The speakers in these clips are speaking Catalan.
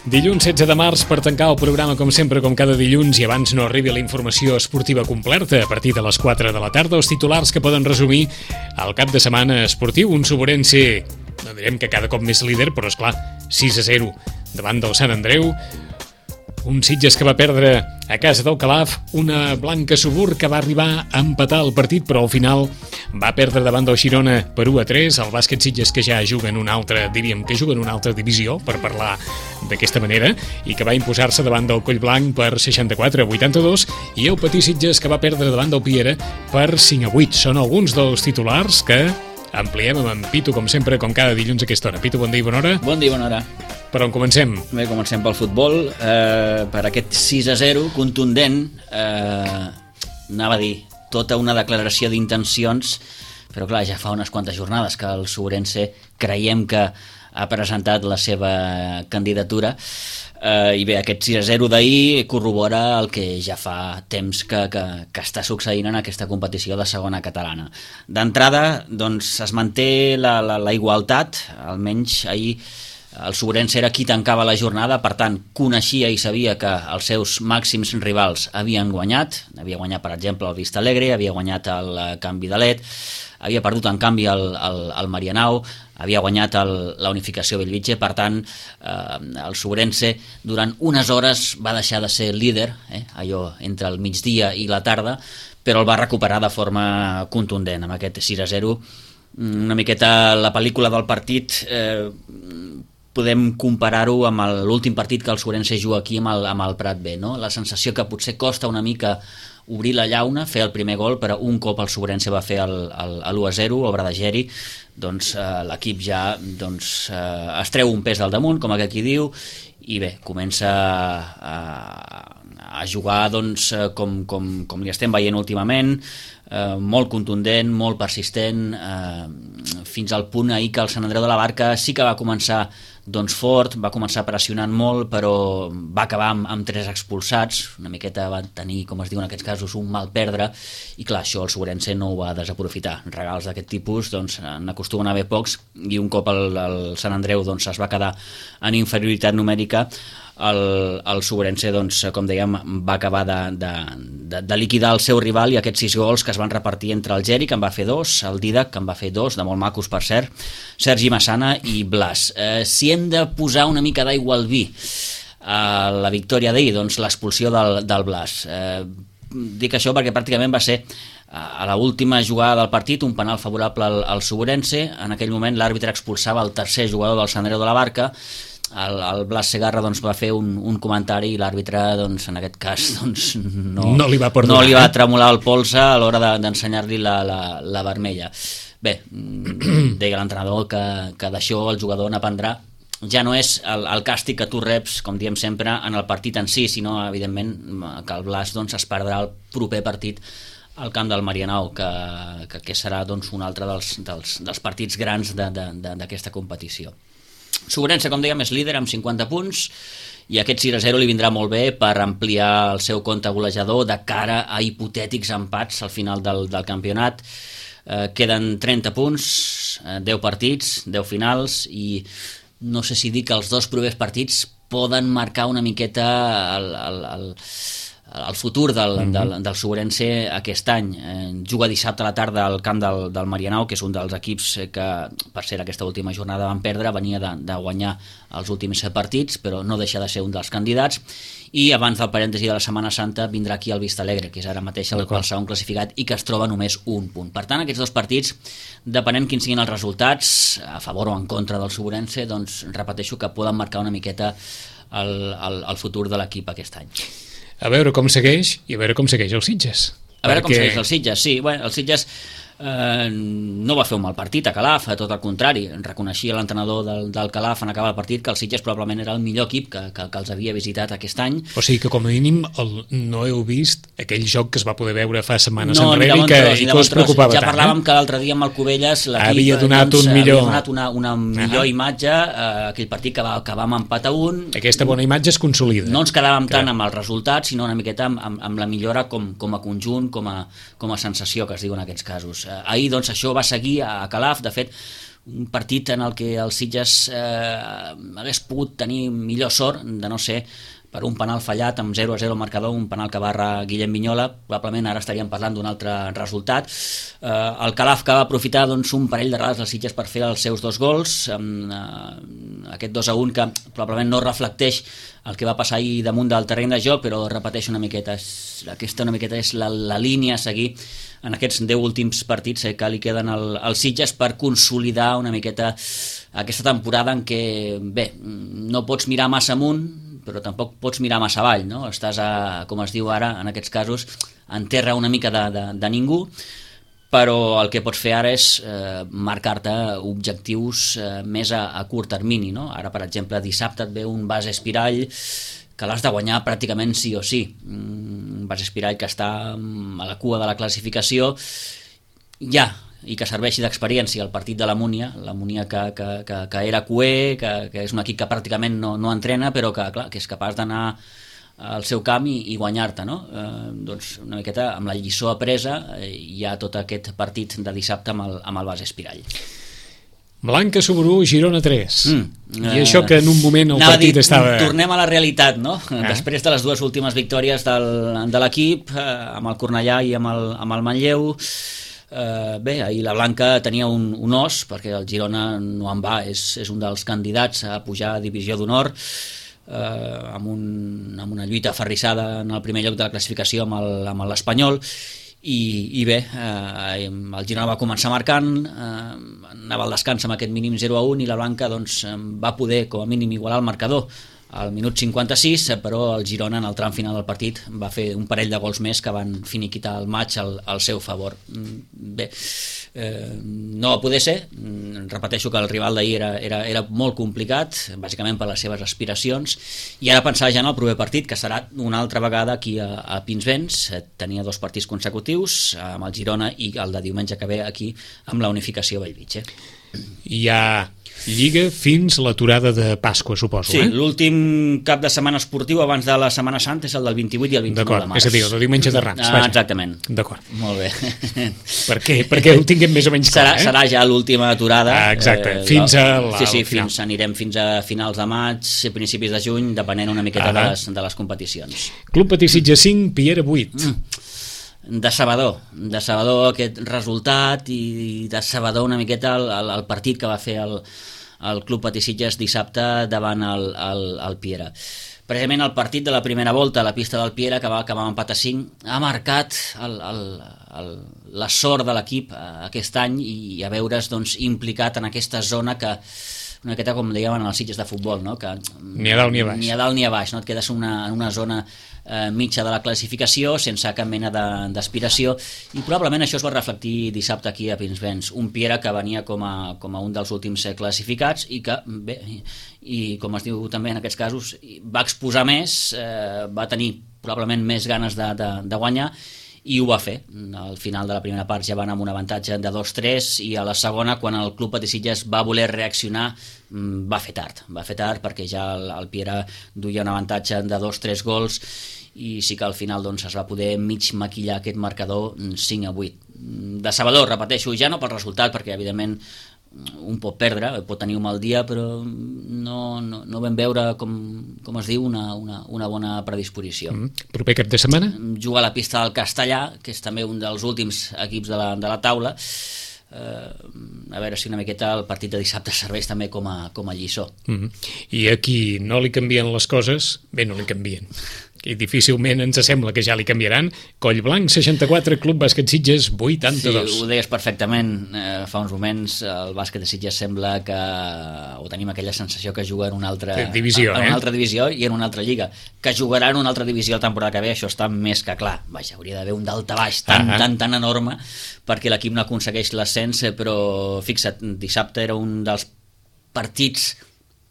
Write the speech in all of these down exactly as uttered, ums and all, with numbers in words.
Dilluns setze de març, per tancar el programa com sempre, com cada dilluns, i abans no arribi la informació esportiva completa a partir de les quatre de la tarda, els titulars que poden resumir el cap de setmana esportiu. Un Suborense, no direm que cada cop més líder, però esclar, sis a zero davant del Sant Andreu. Un Sitges que va perdre a casa del Calaf, una Blanca Subur que va arribar a empatar el partit, però al final va perdre davant del Girona per u a tres. El bàsquet Sitges que ja juga en una altra, diríem que juga en una altra divisió, per parlar d'aquesta manera, i que va imposar-se davant del Collblanc per seixanta-quatre a vuitanta-dos, i el Patí Sitges que va perdre davant del Piera per cinc a vuit. Són alguns dels titulars que ampliem amb en Pitu, com sempre, com cada dilluns a aquesta hora. Pitu, bon dia i bona hora. Bon dia i bona hora. Per on comencem? Bé, comencem pel futbol. Eh, per aquest sis a zero contundent, eh, anava a dir, tota una declaració d'intencions, però clar, ja fa unes quantes jornades que el Suborense creiem que ha presentat la seva candidatura, eh, i bé, aquest sis a zero d'ahir corrobora el que ja fa temps que, que, que està succeint en aquesta competició de segona catalana. D'entrada, doncs, es manté la, la, la igualtat, almenys ahir el Suborense era qui tancava la jornada, per tant, coneixia i sabia que els seus màxims rivals havien guanyat. Havia guanyat, per exemple, el Vista Alegre, havia guanyat el Can Vidalet, havia perdut, en canvi, el, el, el Marianao, havia guanyat el, la Unificació Bellvitge. Per tant, eh, el Suborense durant unes hores va deixar de ser líder, eh, allò entre el migdia i la tarda, però el va recuperar de forma contundent amb aquest sis a zero. Una miqueta la pel·lícula del partit, eh, podem comparar-ho amb l'últim partit que el Suborense juga aquí amb el, amb el Prat B, no? La sensació que potser costa una mica obrir la llauna, fer el primer gol, però un cop el Suborense va fer l'u a zero, obra de Geri, doncs eh, l'equip ja doncs, eh, es treu un pes del damunt, com aquest qui diu, i bé, comença a, a jugar doncs, com, com, com li estem veient últimament, eh, molt contundent, molt persistent, eh, fins al punt ahir que el Sant Andreu de la Barca sí que va començar doncs fort, va començar pressionant molt, però va acabar amb, amb tres expulsats, una miqueta va tenir, com es diu en aquests casos, un mal perdre, i clar, això el Suborense no ho va desaprofitar. Regals d'aquest tipus doncs, n'acostumen a haver pocs, i un cop el, el Sant Andreu doncs, es va quedar en inferioritat numèrica, el, el Suborense, doncs, com dèiem, va acabar de, de, de, de liquidar el seu rival, i aquests sis gols que es van repartir entre el Geri, que en va fer dos, el Didac, que en va fer dos, de molt macos per cert, Sergi Massana i Blas. Eh, si hem de posar una mica d'aigua al vi a la victòria d'ahir, doncs l'expulsió del, del Blas. Eh, dic això perquè pràcticament va ser a l'última jugada del partit un penal favorable al, al Suborense. En aquell moment l'àrbitre expulsava el tercer jugador del Sant Andreu de la Barca. El, el Blas Segarra doncs, va fer un, un comentari, i l'àrbitre doncs, en aquest cas doncs, no, no, li va perdonar, no li va tremolar el polze a l'hora de, d'ensenyar-li la, la, la vermella. Bé, deia l'entrenador que, que d'això el jugador n'aprendrà. Ja no és el, el càstig que tu reps, com diem sempre, en el partit en si, sinó evidentment que el Blas doncs, es perdrà el proper partit al camp del Marianao, que, que, que serà doncs, un altre dels, dels, dels partits grans de, de, de, d'aquesta competició. Suborense, com dèiem, és líder amb cinquanta punts, i aquest sis a zero li vindrà molt bé per ampliar el seu compte golejador de cara a hipotètics empats al final del, del campionat. Eh, queden trenta punts, eh, deu partits, deu finals, i no sé si dir que els dos propers partits poden marcar una miqueta el, el, el, el futur del, mm-hmm. del, del Suborense aquest any. Eh, juga dissabte a la tarda al camp del, del Marianao, que és un dels equips que, per ser aquesta última jornada van perdre, venia de, de guanyar els últims partits, però no deixa de ser un dels candidats. I abans del parèntesi de la Setmana Santa vindrà aquí el Vista Alegre, que és ara mateix el, el segon classificat i que es troba només un punt. Per tant, aquests dos partits, depenent quins siguin els resultats, a favor o en contra del Suborense, doncs repeteixo que poden marcar una miqueta el, el, el futur de l'equip aquest any. A veure com segueix, i a veure com segueix el Sitges. A veure perquè... com segueix el Sitges, sí. Bueno, el Sitges eh, no va fer un mal partit a Calaf, tot el contrari, reconeixia l'entrenador del, del Calaf en acabar el partit que el Sitges probablement era el millor equip que, que, que els havia visitat aquest any. O sigui que com a mínim el, no heu vist aquell joc que es va poder veure fa setmanes no, enrere i que, tros, i que us preocupava ja tant. Ja parlàvem eh? que l'altre dia amb el Cubelles l'equip havia donat, doncs, un millor... havia donat una, una millor uh-huh. imatge, eh, aquell partit que va acabar amb empat a un. Aquesta bona imatge es consolida. No ens quedàvem que... tant amb el resultat, sinó una miqueta amb, amb, amb la millora com, com a conjunt, com a, com a sensació, que es diu en aquests casos. Eh, ahir doncs això va seguir a Calaf, de fet un partit en el que el Sitges eh, hagués pogut tenir millor sort de no ser per un penal fallat amb zero a zero al marcador, un penal que barra Guillem Vignola. Probablement ara estaríem parlant d'un altre resultat. Eh, el Calaf, que va aprofitar doncs, un parell de vegades els Sitges per fer els seus dos gols, amb eh, aquest dos a un que probablement no reflecteix el que va passar ahir damunt del terreny de joc, però repeteixo una miqueta, és, aquesta una miqueta és la, la línia a seguir en aquests deu últims partits eh, que li queden al, al Sitges per consolidar una miqueta aquesta temporada en què, bé, no pots mirar massa amunt, però tampoc pots mirar massa avall, no? Estàs, a, com es diu ara, en aquests casos, en terra una mica de, de, de ningú, però el que pots fer ara és eh, marcar-te objectius eh, més a, a curt termini, no? Ara, per exemple, dissabte et ve un Bas Espirall que l'has de guanyar pràcticament sí o sí. Un Bas Espirall que està a la cua de la classificació, ja, i que serveixi d'experiència al partit de la Múnia, la Múnia que, que, que, que era cué, que, que és un equip que pràcticament no, no entrena, però que, clar, que és capaç d'anar al seu camp i, i guanyar-te, no? Eh, doncs una miqueta amb la lliçó apresa eh, hi ha tot aquest partit de dissabte amb el, amb el Bas Espirall. Blanca Sobrú, Girona tres. Mm, I això que en un moment el partit dir, estava... Tornem a la realitat, no? Ah. Després de les dues últimes victòries del, de l'equip, eh, amb el Cornellà i amb el, amb el Manlleu, Uh, bé, ahir la Blanca tenia un, un os, perquè el Girona no en va, és, és un dels candidats a pujar a Divisió d'Honor, uh, amb, un, amb una lluita aferrissada en el primer lloc de la classificació amb l'Espanyol, i, i bé, uh, el Girona va començar marcant, uh, anava al descans amb aquest mínim zero a un, i la Blanca doncs, va poder com a mínim igualar el marcador al minut cinquanta-sis, però el Girona en el tram final del partit va fer un parell de gols més que van finiquitar el maig al, al seu favor. Bé, eh, no va poder ser, repeteixo que el rival d'ahir era, era, era molt complicat, bàsicament per les seves aspiracions, i ara pensar ja en el proper partit, que serà una altra vegada aquí a, a Pinsbens. Tenia dos partits consecutius, amb el Girona, i el de diumenge que ve aquí amb la unificació Bellvitge. Hi ha Lliga fins l'aturada de Pasqua, suposo. Sí, eh? l'últim cap de setmana esportiu abans de la Setmana Santa és el del vint-i-vuit i el vint-i-nou de març. És a dir, el de diumenge de Rams. Ah, exactament. D'acord. Molt bé. Per què? Perquè ho tinguem més o menys clar, serà, eh? Serà ja l'última aturada. Ah, exacte, eh, fins a la, sí, sí, final. Fins, anirem fins a finals de maig, principis de juny, depenent una miqueta de les, de les competicions. Club Patí Sitges cinc, Piera vuit. Mm. Decebedor, decebedor aquest resultat, i decebedor una miqueta el, el, el partit que va fer el, el Club Patí Sitges dissabte davant el, el, el Piera. Precisament el partit de la primera volta a la pista del Piera, que va acabar amb empat a cinc, ha marcat el, el, el, la sort de l'equip aquest any, i a veure's doncs, implicat en aquesta zona que una miqueta com dèiem en els Sitges de futbol, no? Que ni a dalt ni a baix, ni a dalt ni a baix, no? Et quedes en una, en una zona eh, mitja de la classificació sense cap mena d'aspiració, i probablement això es va reflectir dissabte aquí a Pinsbens, un Piera que venia com a, com a un dels últims classificats, i que bé, i com es diu també en aquests casos, va exposar més, eh, va tenir probablement més ganes de, de, de guanyar, i ho va fer. Al final de la primera part ja van amb un avantatge de dos tres, i a la segona, quan el Club Patí Sitges va voler reaccionar, va fer tard, va fer tard perquè ja el, el Piera duia un avantatge de dos tres gols, i sí que al final doncs, es va poder mig maquillar aquest marcador cinc a vuit. Decebedor, repeteixo, ja no pel resultat, perquè evidentment un pot perdre, pot tenir un mal dia, però no, no, no vam veure, com, com es diu, una, una, una bona predisposició. Mm. Proper cap de setmana? Juga a la pista del Castellà, que és també un dels últims equips de la, de la taula. Eh, a veure si una miqueta el partit de dissabte serveix també com a, com a lliçó. Mm. I aquí no li canvien les coses, bé, no li canvien, i difícilment ens sembla que ja li canviaran. Collblanc seixanta-quatre, Club Bàsquet Sitges vuitanta-dos. Sí, ho deies perfectament, eh, fa uns moments el bàsquet de Sitges sembla que o tenim aquella sensació que juga en una altra divisió, en una eh? altra divisió i en una altra lliga, que jugarà en una altra divisió la temporada que ve, això està més que clar. Vaja, hauria d'haver un daltabaix tan, ah, tan, tan enorme perquè l'equip no aconsegueix l'ascens, però fixa't, dissabte era un dels partits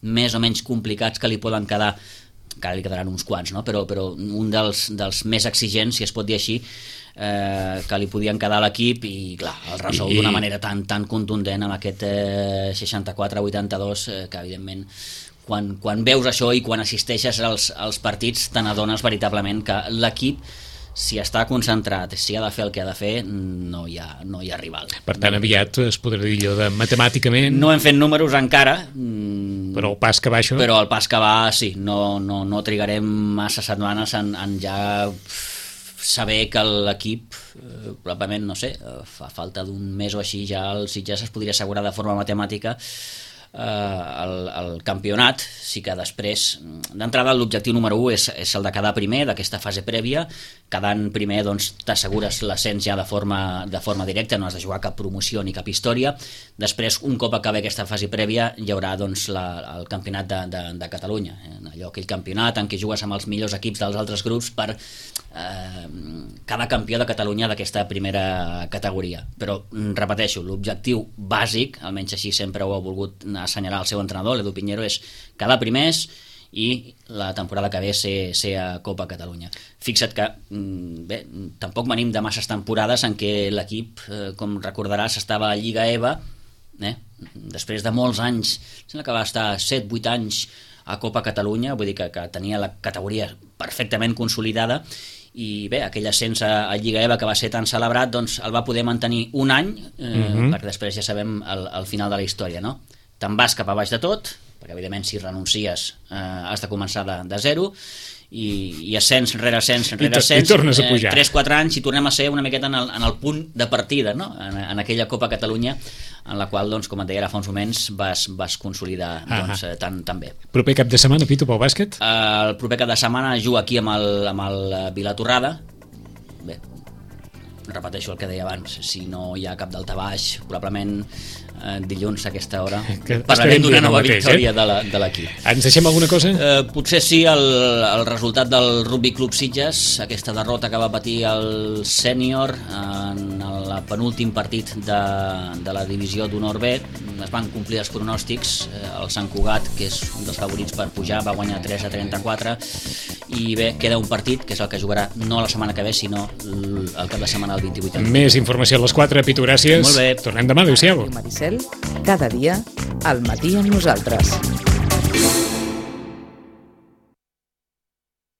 més o menys complicats que li poden quedar, encara li quedaran uns quants, no? però, però un dels, dels més exigents, si es pot dir així, eh, que li podien quedar a l'equip, i clar, el resol d'una manera tan, tan contundent amb aquest eh, seixanta-quatre a vuitanta-dos, eh, que evidentment quan, quan veus això i quan assisteixes als, als partits te n'adones veritablement que l'equip si està concentrat, si ha de fer el que ha de fer, no hi ha, no hi ha rival. Per tant, aviat es podrà dir allò de matemàticament... No hem fet números encara. Però el pas que va això... Però el pas que va, sí. No, no, no trigarem massa setmanes en, en ja saber que l'equip, eh, probablement, no sé, fa falta d'un mes o així, ja el Sitges es podria assegurar de forma matemàtica el, el campionat. Sí que després, d'entrada, l'objectiu número u és, és el de quedar primer d'aquesta fase prèvia. Quedant primer, doncs, t'assegures l'ascens ja de forma, de forma directa, no has de jugar cap promoció ni cap història. Després, un cop acabi aquesta fase prèvia, hi haurà, doncs, la, el campionat de, de, de Catalunya, allò, aquell campionat en què jugues amb els millors equips dels altres grups per eh, cada campió de Catalunya d'aquesta primera categoria. Però, repeteixo, l'objectiu bàsic, almenys així sempre ho ha volgut assenyalar el seu entrenador, l'Edu Piñero, és quedar primers i la temporada que ve ser, ser a Copa Catalunya. Fixa't que bé, tampoc venim de masses temporades en què l'equip, eh, com recordaràs, estava a Lliga E V A, eh? Després de molts anys, sembla que va estar set vuit anys a Copa Catalunya, vull dir que, que tenia la categoria perfectament consolidada, i bé, aquell ascens a, a Lliga E V A que va ser tan celebrat, doncs el va poder mantenir un any, eh, mm-hmm. perquè després ja sabem el, el final de la història, no? Te'n vas cap a baix de tot, perquè evidentment si renuncies eh, has de començar de, de zero, i, i ascens rere ascens rere ascens, i tornes a pujar. eh, tres quatre anys i tornem a ser una miqueta en el, en el punt de partida, no? en, en aquella Copa Catalunya en la qual, doncs, com et deia ara fa uns moments, vas, vas consolidar doncs, eh, tan, tan bé. Proper cap de setmana, Pitu, pel bàsquet? Eh, el proper cap de setmana jugo aquí amb el, amb el Vilatorrada. Bé, repeteixo el que deia abans, si no hi ha cap daltabaix, probablement eh, dilluns a aquesta hora que parlarem d'una nova mateix, victòria eh? de, la, de l'equip. Ens deixem alguna cosa? Eh, potser sí el, el resultat del Rugby Club Sitges, aquesta derrota que va patir el sènior en el penúltim partit de, de la divisió d'honor B. Es van complir els pronòstics, eh, el Sant Cugat, que és un dels favorits per pujar, va guanyar tres a trenta-quatre, i bé, queda un partit que és el que jugarà no la setmana que ve, sinó el cap de setmana del vint-i-vuit. Més informació a les quatre, Pitu, gràcies. Molt bé. Tornem demà, adéu-siau. Maricel, cada dia al matí amb nosaltres.